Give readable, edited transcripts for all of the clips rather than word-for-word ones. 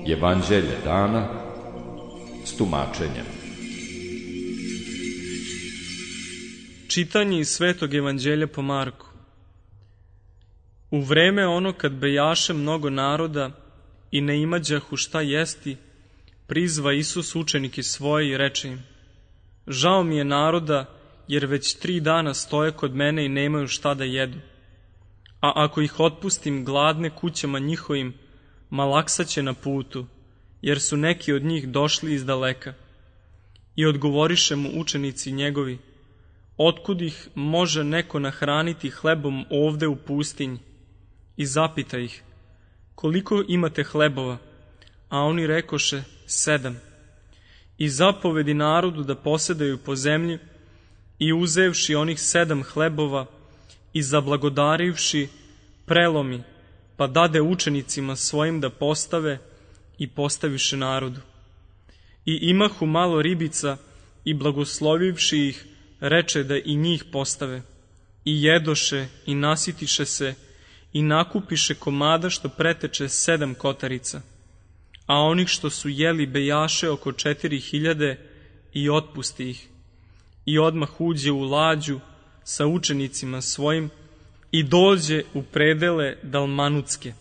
Evanđelje dana s tumačenjem. Čitanje iz Svetog evanđelja po Marku. U vreme ono kad bejaše mnogo naroda i ne imađahu šta jesti, prizva Isus učenike svoje i reče im: žao mi je naroda, jer već 3 dana stoje kod mene i nemaju šta da jedu. A ako ih otpustim gladne kućama njihovim, malaksaće na putu, jer su neki od njih došli iz daleka. I odgovoriše mu učenici njegovi: otkud ih može neko nahraniti hlebom ovde u pustinji? I zapita ih: koliko imate hlebova? A oni rekoše: 7. I zapovedi narodu da posedaju po zemlji, i uzevši onih 7 hlebova i zablagodarivši, prelomi, pa dade učenicima svojim da postave, i postaviše narodu. I imahu malo ribica, i blagoslovivši ih, reče da i njih postave. I jedoše i nasitiše se i nakupiše komada što preteče 7 kotarica. A onih što su jeli bejaše oko 4.000 i otpusti ih. I odmah uđe u lađu sa učenicima svojim i dođe u predele Dalmanutske.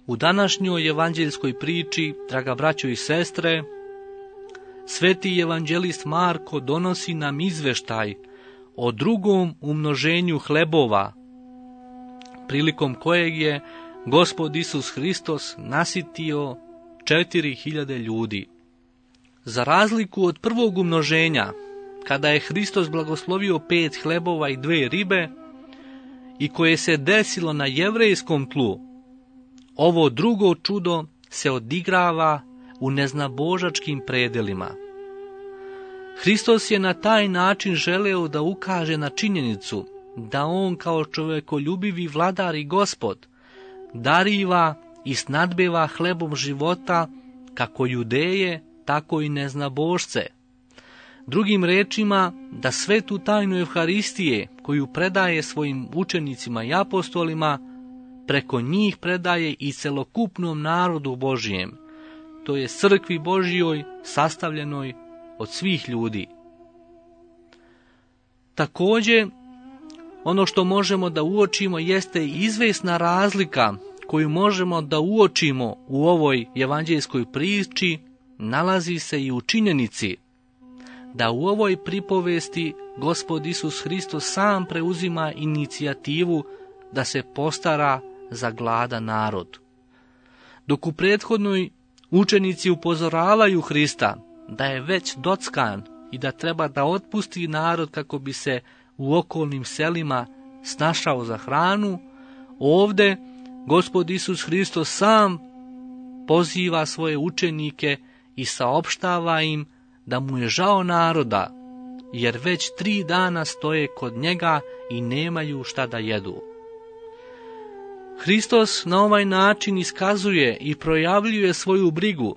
U današnjoj evanđeljskoj priči, draga braćo i sestre, sveti evanđelist Marko donosi nam izveštaj o drugom umnoženju hlebova, prilikom kojeg je Gospod Isus Hristos nasitio 4.000 ljudi. Za razliku od prvog umnoženja, kada je Hristos blagoslovio 5 hlebova i 2 ribe, i koje se desilo na jevrejskom tlu, ovo drugo čudo se odigrava u neznabožačkim predelima. Hristos je na taj način želeo da ukaže na činjenicu da on kao čovekoljubivi vladar i Gospod dariva i snadbeva hlebom života kako Judeje, tako i neznabožce. Drugim rečima, da svetu tajnu Evharistije koju predaje svojim učenicima i apostolima, preko njih predaje i celokupnom narodu Božijem, to je crkvi Božjoj sastavljenoj od svih ljudi. Također, ono što možemo da uočimo jeste izvesna razlika koju možemo da uočimo u ovoj evanđeljskoj priči, nalazi se i u činjenici da u ovoj pripovesti Gospod Isus Hristos sam preuzima inicijativu da se postara za gladan narod. Dok u prethodnoj učenici upozoravaju Hrista da je već dockan i da treba da otpusti narod kako bi se u okolnim selima snašao za hranu, ovde Gospod Isus Hristos sam poziva svoje učenike i saopštava im da mu je žao naroda, jer već 3 dana stoje kod njega i nemaju šta da jedu. Hristos na ovaj način iskazuje i projavljuje svoju brigu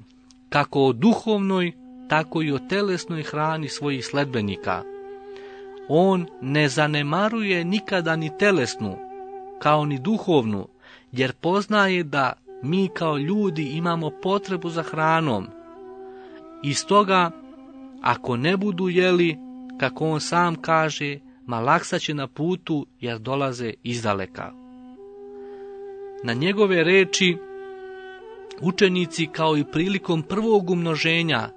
kako o duhovnoj, tako i o telesnoj hrani svojih sledbenika. On ne zanemaruje nikada ni telesnu, kao ni duhovnu, jer poznaje da mi kao ljudi imamo potrebu za hranom. I stoga, ako ne budu jeli, kako on sam kaže, malaksaće na putu jer dolaze izdaleka. Na njegove reči učenici, kao i prilikom prvog umnoženja,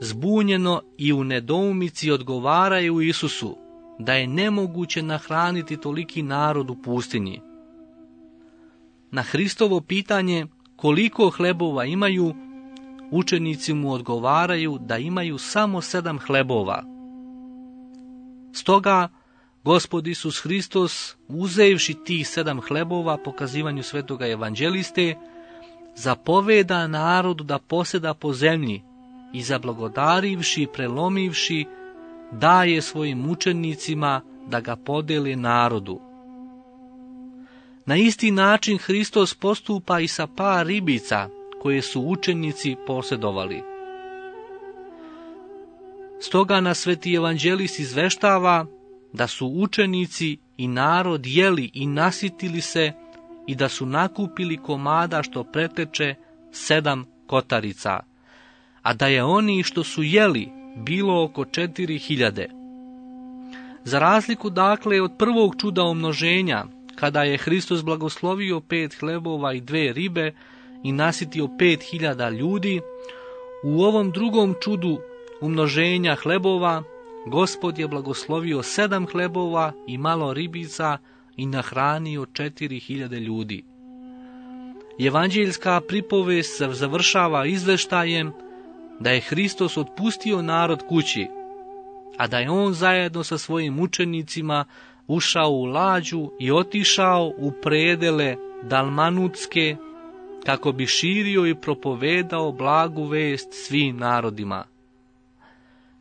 zbunjeno i u nedoumici odgovaraju Isusu da je nemoguće nahraniti toliki narod u pustinji. Na Hristovo pitanje koliko hlebova imaju, učenici mu odgovaraju da imaju samo 7 hlebova. Stoga Gospod Isus Hristos, uzevši tih 7 hlebova po kazivanju svetoga evanđeliste, zapoveda narodu da poseda po zemlji i zablagodarivši i prelomivši, daje svojim učenicima da ga podele narodu. Na isti način Hristos postupa i sa par ribica koje su učenici posjedovali. Stoga nas Sveti evanđelist izveštava da su učenici i narod jeli i nasitili se i da su nakupili komada što preteče 7 kotarica, a da je oni što su jeli bilo oko 4000. Za razliku dakle od prvog čuda umnoženja, kada je Hristos blagoslovio 5 hlebova i 2 ribe i nasitio 5000 ljudi, u ovom drugom čudu umnoženja hlebova, Gospod je blagoslovio 7 hlebova i malo ribica i nahranio 4000 ljudi. Evanđeljska pripovest se završava izveštajem da je Hristos otpustio narod kući, a da je on zajedno sa svojim učenicima ušao u lađu i otišao u predele Dalmanutske kako bi širio i propovedao blagu vest svim narodima.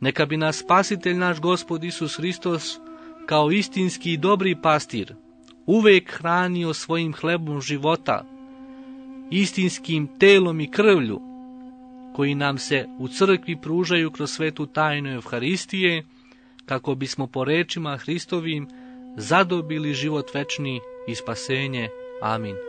Neka bi nas Spasitelj naš Gospod Isus Hristos kao istinski i dobri pastir uvek hranio svojim hlebom života, istinskim telom i krvlju, koji nam se u crkvi pružaju kroz svetu tajnu Evharistije, kako bismo po rečima Hristovim zadobili život večni i spasenje. Amin.